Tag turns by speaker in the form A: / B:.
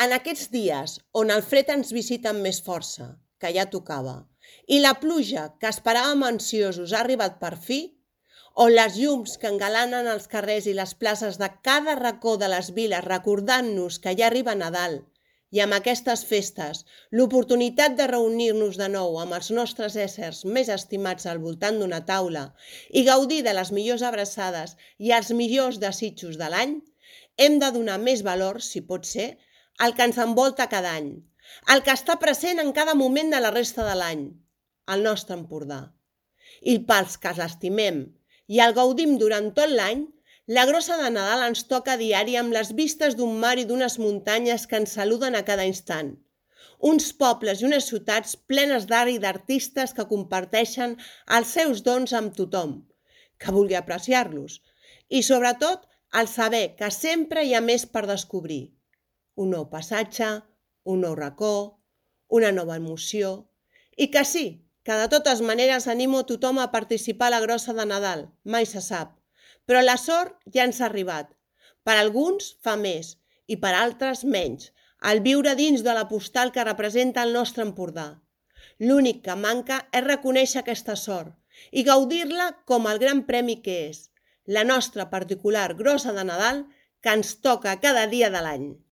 A: En aquests dies on el fred ens visita amb més força, que ja tocava, i la pluja que esperàvem ansiosos ha arribat per fi, on les llums que engalanen els carrers i les places de cada racó de les viles recordant-nos que ja arriba Nadal i amb aquestes festes l'oportunitat de reunir-nos de nou amb els nostres éssers més estimats al voltant d'una taula i gaudir de les millors abraçades i els millors desitjos de l'any, hem de donar més valor, si pot ser, al que ens envolta cada any, el que està present en cada moment de la resta de l'any, el nostre Empordà. I pels que l'estimem i el gaudim durant tot l'any, la grossa de Nadal ens toca a diari amb les vistes d'un mar i d'unes muntanyes que ens saluden a cada instant. Uns pobles i unes ciutats plenes d'art i d'artistes que comparteixen els seus dons amb tothom, que vulgui apreciar-los. I sobretot, el saber que sempre hi ha més per descobrir. Un nou passatge, un nou racó, una nova emoció. I que sí, que de totes maneres animo a tothom a participar a la grossa de Nadal, mai se sap. Però la sort ja ens ha arribat. Per alguns fa més i per altres menys, al viure dins de la postal que representa el nostre Empordà. L'únic que manca és reconèixer aquesta sort i gaudir-la com el gran premi que és, la nostra particular grossa de Nadal que ens toca cada dia de l'any.